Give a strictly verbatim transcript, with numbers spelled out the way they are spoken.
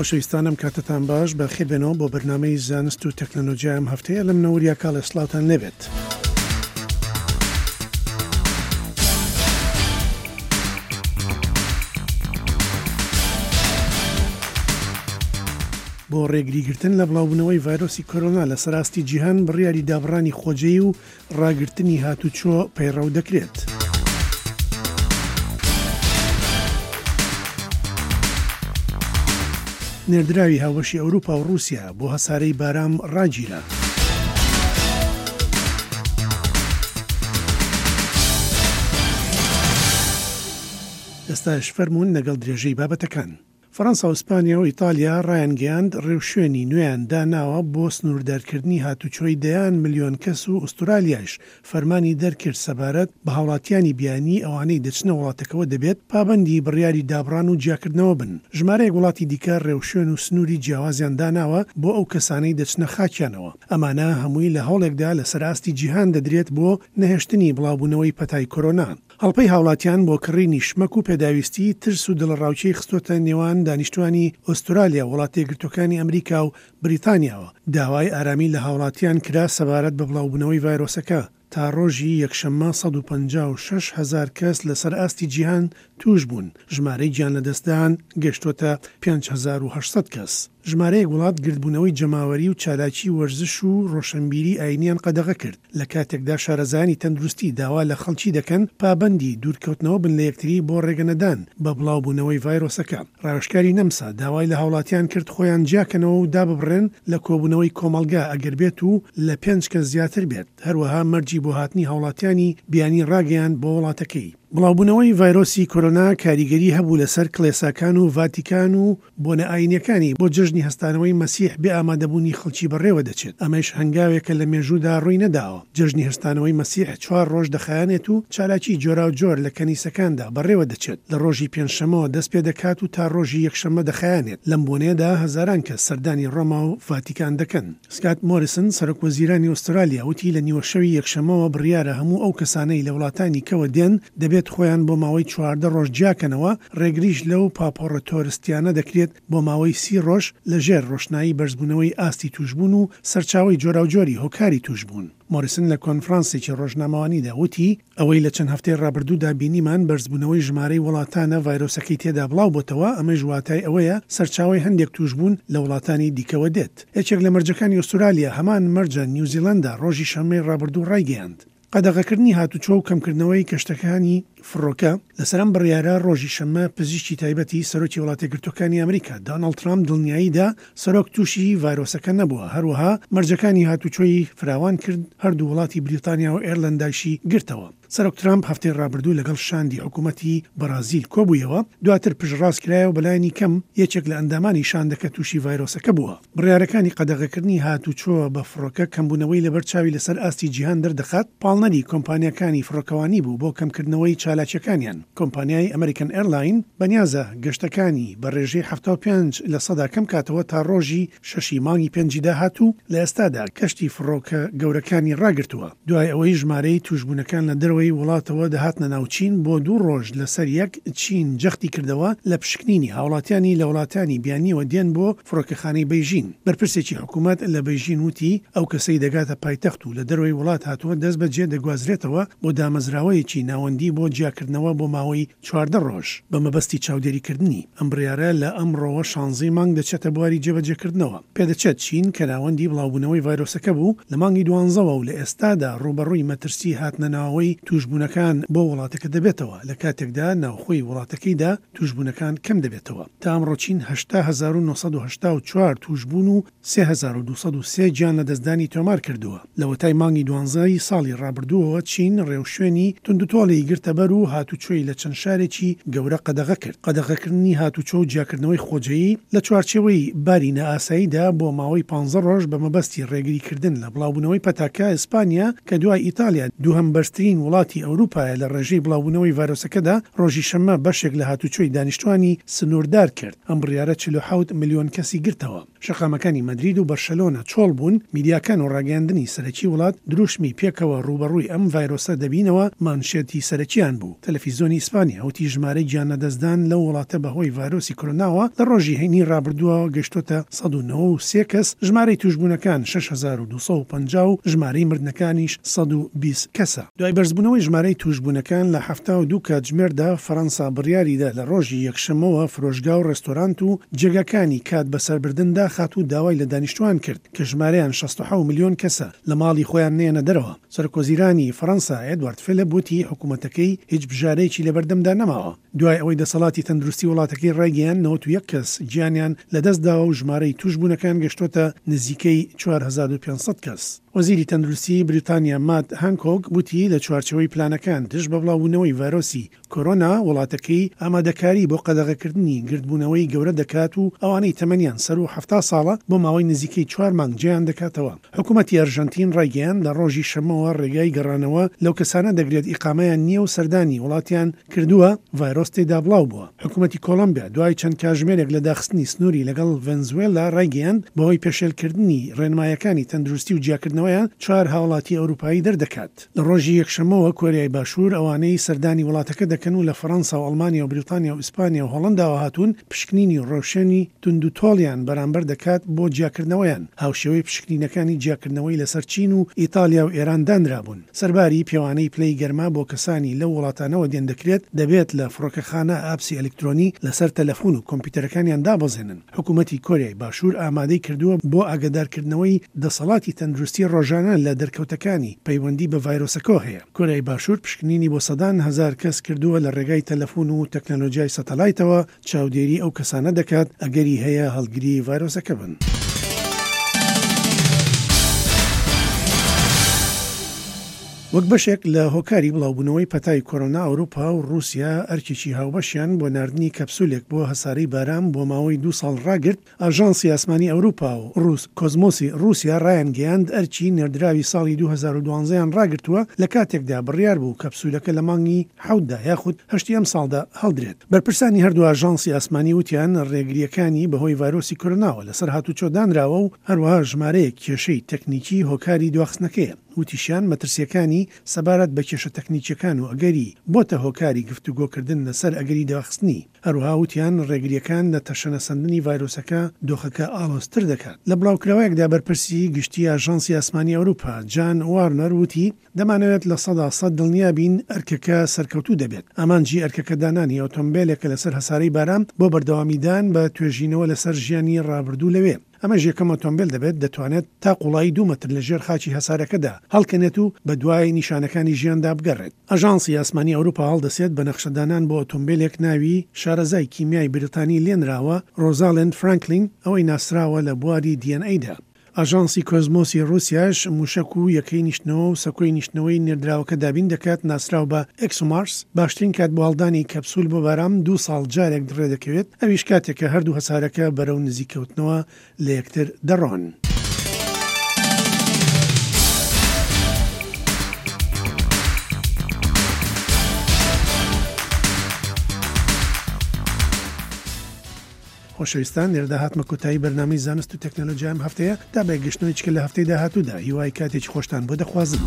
خۆشەویستانم کاتتان باش، بەخێربێنەوە بۆ بەرنامەی زانست و تەکنەلۆژیا ئەم هەفتەیە لە منەوە وریا کاڵێ سڵاوتان لێبێت. بۆ ڕێگریگرتن لە بڵاوبوونەوەی ڤایرۆسی کۆرۆنا لە سەراستی جیهان بڕیاری دابڕانی خۆجێی و ڕاگرتنی هاتوچۆ پەیڕەو دەکرێت. نێردراوی هاوبەشی ئەوروپا و ڕووسیا بۆ هەسارەی بارام ڕاگیرا. ئێستاش فەرموون لەگەڵ درێژەی بابەتەکان. فەرەنسا و ئیسپانیا و ئیتالیا ڕایانگەیاند ڕێوشوێنی نوێیان داناوە بۆ سنووردارکردنی هاتوچۆی دەیان ملیۆن کەس و ئوسترالیایش فەرمانی دەرکرد سەبارەت بە هاوڵاتیانی بیانی ئەوانەی دەچنە وڵاتەکەوە دەبێت پابەندی بڕیاری دابڕان و جیاکردنەوە بن. ژمارەیەک وڵاتی دیکە ڕێوشوێن و سنووری جیاوازیان داناوە بۆ ئەو کەسانەی دەچنە خاکیانەوە. ئەمانە هەمووی لە هەوڵێکدا لەسەر ئاستی جیهان دەدرێت بۆ نەهێشتنی بڵاوبوونەوەی پەتای کۆرۆنا. هەڵپەی هاوڵاتیان بۆ کڕینی شمەک و پێداویستی ترس و دڵەڕاوکێی خستۆتە نێوان دانیشتوانی ئوسترالیا، وڵاتە یەکگرتووەکانی ئەمریکا و بریتانیاوە. داوای ئارامی لە هاوڵاتیان کرا سەبارەت بە بڵاوبوونەوەی ڤایرۆسەکە. تا ڕۆژی یەکشەممە سەد و پەنجا و شەش هەزار کەس لەسەر ئاستی جیهان توش بوون. ژمارەی گیان لەدەستدان گەشتۆتە پێنج هەزار و هەشت سەد کەس. ژمارەیەک وڵات گردبوونەوەی جەماوەری و چالاکی وەرزش و ڕۆشنبیری ئاینیان قەدەغە کرد. لە کاتێکدا شارەزایانی تەندروستی داوا لە خەڵکی دەکەن پابەندی دوورکەوتنەوە بن لە یەکتری بۆ ڕێگەنەدان بە بڵاوبوونەوەی ڤایرۆسەکە. ڕاوێژکاری نەمسا داوای لە هاوڵاتیان کرد خۆیان جیاکەنەوە و داببڕێن لە کۆبوونەوەی کۆمەڵگا ئەگەر بێت و لە پێنج کەس زیاتر بێت. هەروەها مەرجی بۆ هاتنی هاوڵاتیانی بیانی ڕاگەیاند بۆ وڵاتەکەی. بڵاوبوونەوەی ڤایرۆسی کۆرۆنا کاریگەری هەبوو لەسەر کڵێساکان و ڤاتیکان و بۆنە ئاینیەکانی بۆ جەژنی هەستانەوەی مەسیح بێ ئامادەبوونی خەڵکی بەڕێوە دەچێت. ئەمەش هەنگاوێکە لە مێژوودا ڕووی نەداوە. جەژنی هەستانەوەی مەسیح چوار ڕۆژ دەخایەنێت و چالاکی جۆراوجۆر لە کەنیسەکاندا بەڕێوە دەچێت. لە ڕۆژی پێنجشەممەوە دەست پێ دەکات و تا ڕۆژی یەکشەممە دەخایەنێت. لەم بۆنەیەدا هەزاران کەس سەردانی ڕۆما و ڤاتیکان دەکەن. سکات مۆریسن سەرۆک وەزیرانی ئوسترالیا وتی لە نیوەشەوی یەکشەممەوە بڕیارە هەموو ئەو کەسانەی لە وڵاتانی کەوە دێن دەبێت خۆیان بۆ ماوەی چواردە ڕۆژ جیاکەنەوە. ڕێگریش لەو پاپۆڕە تۆرستیانە دەکرێت بۆ ماوەی سی ڕۆژ لەژێر ڕۆشنایی بەرزبوونەوەی ئاستی توشبوون و سەرچاوەی جۆراوجۆری هۆکاری توشبوون. مۆریسن لە کۆنفرانسێکی ڕۆژنامەوانیدا وتی ئەوەی لە چەند هەفتەی ڕابردوودا بینیمان بەرزبوونەوەی ژمارەی وڵاتانە ڤایرۆسەکەی تێدا بڵاو بۆتەوە، ئەمەش واتای ئەوەیە سەرچاوەی هەندێک توشبوون لە وڵاتانی دیکەوە دێت. یەکێک لە مەرجەکانی ئوسترالیا هەمان مەرجە نیوزیلەندا ڕۆژی شەممەی ڕابردوو ڕایگەیاند. قەدەغەکردنی هاتوچۆ و کەمکردنەوەی کەشتەکانی فڕۆکە لەسەر ئەم بڕیارە ڕۆژی شەممە پزیشکی تایبەتی سەرۆکی وڵاتە یەکگرتووەکانی ئەمریکا دۆناڵد ترامپ دڵنیاییدا سەرۆک تووشی ڤایرۆسەکە نەبووە. هەروەها مەرجەکانی هاتوچۆی فراوان کرد، هەردوو وڵاتی بریتانیا و ئێرلەندایشی گرتەوە. سەرۆک ترامپ هەفتەی ڕابردوو لەگەڵ شاندی حکوومەتی بەرازیل کۆبوویەوە، دواتر پشتڕاست کرایەوە بەلایەنی کەم یەکێک لە ئەندامانی شاندەکە تووشی ڤایرۆسەکە بووە. بڕیارەکانی قەدەغەکردنی هاتوچۆ بە فڕۆکە کەمبوونەوەی لەبەر چاوی لەسەر ئاستی جیهان دەردەخات، پاڵنەری کۆمپانیاکانی فڕۆکەوانی بوو بۆ کەمکردنەوەی چالاکیەکانیان. کۆمپانیای ئەمریکن ئێرلاین بەنیازە گەشتەکانی بە ڕێژەی حەفتا و پێنج لە سەدا کەم کاتەوە تا ڕۆژی شەشی مانگی پێنجی داهاتوو. لە ئێستادا کەشتی فڕۆکە گەورەکانی ڕاگرتووە. دوای ئەوەی ژمارەی توشبوونەکان لە دەرەوەی وڵاتەوە دەهاتنە ناو چین بۆ دوو ڕۆژ لەسەر یەک، چین جەختی کردەوە لە پشکنینی هاوڵاتیانی لە وڵاتانی بیانیەوە دێن بۆ فڕۆکەخانەی بەیژین. بەرپرسێکی حکوومەت لە بەیژین وتی ئەو کەسەی دەگاتە پایتەخت و لە دەرەوەی وڵات هاتووە دەست بەجێ دەگوازرێتەوە بۆ دامەزراوەیەکی ناوەندی بۆ جیاکردنەوە بۆ ماوەی چواردە ڕۆژ بە مەبەستی چاودێریکردنی. ئەم بڕیارە لە ئەمڕۆوە شانزەی مانگ دەچێتە بواری جێبەجێکردنەوە. پێدەچێت چین کە ناوەندی بڵاوبوونەوەی ڤایرۆسەکە بوو لە مانگی دوانزەوە و لە ئێستادا ڕووبەڕووی مەترسی هاتنە ناوەوەی توشبوونەکان بۆ وڵاتەکە دەبێتەوە، لە کاتێکدا ناوخۆی وڵاتەکەیدا توشبوونەکان کەم دەبێتەوە. تا ئەمڕۆ چین هەشتا هەزار و نۆ سەد و هەشتا و چوار توشبوون و سێ هەزار و دوو سەد و سێ گیان لەدەستدانی تۆمار کردووە. لەوەتای مانگی دوانزەی ساڵی ڕابردووەوە چین ڕێوشوێنی توندوتۆڵی گرتەبەر و هاتوچۆی لە چەند شارێکی گەورە قەدەغە کرد. قەدەغەکردنی هاتوچۆ و جیاکردنەوەی خۆجێیی لە چوارچێوەی باری نائاساییدا بۆ ماوەی پانزە ڕۆژ بە مەبەستی ڕێگریکردن لە بڵاوبوونەوەی پەتاکە. ئیسپانیا کە دوای ئیتالیا دووهەم بەرزترین وڵات وڵاتی ئەوروپایە لە ڕێژەی بڵاوبوونەوەی ڤایرۆسەکەدا، ڕۆژی شەممە بەشێک لە هاتوچۆی دانیشتوانی سنووردار کرد. ئەم بڕیارە چل و حەوت ملیۆن کەسی گرتەوە. شەقامەکانی مەدرید و بەرشەلۆنە چۆڵ بوون، میدیاکان و ڕاگەیاندنی سەرەکی وڵات دروشمی پێکەوە ڕووبەڕووی ئەم ڤایرۆسە دەبینەوە مانشێتی سەرەکیان بوو. تەلەفیزیۆنی ئیسپانیا وتی ژمارەی گیانلەدەستدان لەو وڵاتە بەهۆی ڤایرۆسی کۆرۆناوە لە ڕۆژی هەینی ڕابردووە گەشتۆتە سەد و نەوە و سێ کەس، ژمارەی توشبوونەکان شەش هەزار و دوو سەد و پەنجا و ژمارەی مردنەکانیش سەد و بیست کەسە. دوای بەرزبوونەوەی ژمارەی توشبوونەکان لە حەفتا و دوو کاتژمێردا، فەرەنسا بڕیاریدا لە ڕۆژی یەکشەممەوە فرۆشگا و ڕێستۆرانت و جێگاکانی کات بەسەربردن داخات و داوای لە دانیشتوان کرد کە ژمارەیان شەست و حەوت ملیۆن کەسە لە ماڵی خۆیان نێنە دەرەوە. سەرۆکوەزیرانی فەرەنسا ئێدوارد فیلیپ وتی حکوومەتەکەی هیچ بژارەیەکی لەبەردەمدا نەماوە. دوای ئەوەی دەسەڵاتی تەندروستی وڵاتەکەی ڕایگەیاند نەوەت و یەک کەس گیانیان لەدەستداوە و ژمارەی توشبوونەکان گەشتۆتە نزیکەی چوار هەزار و پێنج سەد کەس. وەزیری تەندروستی بریتانیا مات هانکۆک وتی لە چوارچێوەی پلانەکان دژ بە بڵاوبوونەوەی ڤایرۆسی کۆرۆنا وڵاتەکەی ئامادەکاری بۆ قەدەغەکردنی گردبوونەوەی گەورە دەکات و ئەوانەی تەمەنیان سەر و حەفتا ساڵە بۆ ماوەی نزیکەی چوار مانگ جێیان دەکاتەوە. حکوومەتی ئەرژەنتین ڕایگەیاند لە ڕۆژی شەممەوە ڕێگای گەڕانەوە لەو کەسانە دەگرێت ئیقامەیان نییە و سەردانی وڵاتیان کردووە ڤایرۆس تێدا بڵاو بووە. حکوومەتی کۆلۆمبیا دوای چەند کاژمێرێک لە داخستنی سنووری لەگەڵ ڤەنزوێلا ڕایگەیاند بەهۆی پێشێلکردنی ڕێنمایەکانی تەندروستی و جیاکردنەوەیان چوار هاوڵاتی ئەوروپایی دەردەکات. لە ڕۆژی یەکشەممەوە کۆریای باشوور ئەوانەی سەردانی وڵاتەکە دەکەن و لە فەرەنسا و ئەڵمانیا و بریتانیا و ئیسپانیا و هۆڵنداوە هاتوون پشکنینی ڕۆشنی توند و تۆڵیان بەرامبەر دەکات بۆ جیاکردنەوەیان، هاوشێوەی پشکنینەکانی جیاکردنەوەی لەسەر چین و ئیتالیا و ئێران دانرابوون. سەرباری پێوانەی پلەی گەرما بۆ کەسانی لەو وڵاتانەوە دێن دەکرێت دەبێت لە فڕۆکەخانە ئاپسی ئەلکترۆنی لەسەر تەلەفۆن و کۆمپیوتەرەکانیان دابەزێنن. حکوومەتی کۆریای باشوور ئامادەی کردووە بۆ ئاگادارکردنەوەی دەسەڵاتی تەندروستی ڕۆژانە لە دەرکەوتەکانی پەیوەندی بە ڤایرۆسەکەوە هەیە. کۆریای باشوور پشکنینی بۆ سەدان هەزار کەس کردووە لە ڕێگای تەلەفۆن و تەکنەلۆژیای سەتەلایتەوە چاودێری ئەو کەسانە دەکات ئەگەری هەیە هەڵگری ڤایرۆسەکە بن. وەک بەشێک لە هۆکاری بڵاوبوونەوەی پەتای کۆرۆنا، ئەوروپا و ڕووسیا ئەرکێکی هاوبەشیان بۆ ناردنی کەپسولێک بۆ هەسارەی بارام بۆ ماوەی دوو ساڵ ڕاگرت. ئاژانسی ئاسمانی ئەوروپا و ڕوس کۆزمۆسی ڕووسیا ڕایانگەیاند ئەرکی نێردراوی ساڵی دوو هەزار و دوازدە ڕاگرتووە لە کاتێکدا بڕیار بوو کەپسولەکە لە مانگی حەوتدا یاخود هەشتی ئەم ساڵدا هەڵدرێت. بەرپرسانی هەردوو ئاژانسی ئاسمانی وتیان ڕێگریەکانی بەهۆی ڤایرۆسی کۆرۆناوە لەسەر هاتوچۆ دانراوە و هەروەها ژمارەیەک کێشەی تەکنیکی هۆکاری دواخستنەکەیە. وتیشیان مەترسیەکانی سەبارەت بە کێشە تەکنیکیەکان و ئەگەری بۆتە هۆکاری گفتوگۆکردن لەسەر ئەگەری دواخستنی. هەروەها وتیان ڕێگریەکان لە تەشەنەسەندنی ڤایرۆسەکە دۆخەکە ئاڵۆزتر دەکات. لە بڵاوکراوەیەکدا بەرپرسی گشتی ئاژانسی ئاسمانی ئەوروپا جان وارنەر وتی دەمانەوێت لە سەدا سەد دڵنیا بین ئەرکەکە سەرکەوتوو دەبێت. ئامانجی ئەرکەکە دانانی ئۆتۆمبیلێکە لەسەر هەسارەی بارام بۆ بەردەوامیدان بە توێژینەوە لەسەر ژیانی ڕابردوو لەوێ. ئەمەش یەکەم ئۆتۆمبیل دەبێت دەتوانێت تا قوڵایی دوو مەتر لە ژێر خاکی هەسارەکەدا هەڵکەنێت و بە دوای نیشانەکانی ژیاندا بگەڕێت. ئاژانسی ئاسمانی ئەوروپا هەڵدەسێت بە نەخشەدانان بۆ ئۆتۆمبیلێک ناوی شارەزای کیمیای بریتانی لێنراوە ڕۆزالند فرانکلین، ئەوەی ناسراوە لە بواری دی ئێن ئەیدا. ئاژانسی کۆزمۆسی ڕووسیاش موشک و یەکەی نیشتنەوە و سەکۆی نیشتنەوەی نێردراوەکە دابین دەکات ناسراو بە ئێکسۆمارس. باشترین کات بۆ هەڵدانی کەپسول بۆ بارام دوو ساڵ جارێک ڕێدەکەوێت، ئەویش کاتێکە هەردوو هەسارەکە بەرەو نزیکەوتنەوە لە یەکتر دەڕۆن. خۆشەویستان، لێرەدا هاتمە کۆتایی بەرنامەی زانست و تەکنەلۆژیا ئەم هەفتەیە تا بەیەکگەشتنەوەی چکە لە هەفتەی داهاتوودا. هیوای کاتێکی خۆشتان بۆ دەخوازم.